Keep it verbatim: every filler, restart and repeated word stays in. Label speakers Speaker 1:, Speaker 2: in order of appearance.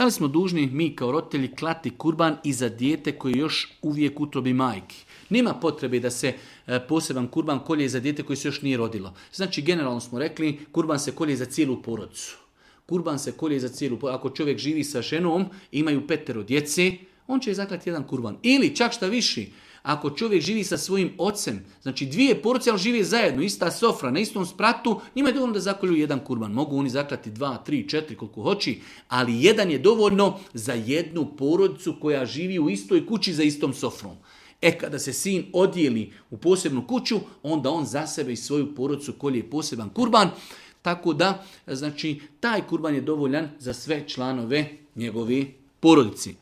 Speaker 1: Da li smo dužni mi kao roditelji klati kurban i za dijete koje je još uvijek u utrobi majki? Nema potrebe da se poseban kurban kolje za dijete koje se još nije rodilo. Znači, generalno smo rekli, kurban se kolje za cijelu porodicu. Kurban se kolje za cijelu porodicu. Ako čovjek živi sa ženom, imaju petero djece, on će zaklati jedan kurban. Ili čak šta viši, ako čovjek živi sa svojim ocem, znači dvije porodice, ali žive zajedno, ista sofra, na istom spratu, njima je dovoljno da zakolju jedan kurban. Mogu oni zaklati dva, tri, četiri, koliko hoći, ali jedan je dovoljno za jednu porodicu koja živi u istoj kući za istom sofrom. E, kada se sin odijeli u posebnu kuću, onda on za sebe i svoju porodicu kolje poseban kurban, tako da, znači, taj kurban je dovoljan za sve članove njegove porodici.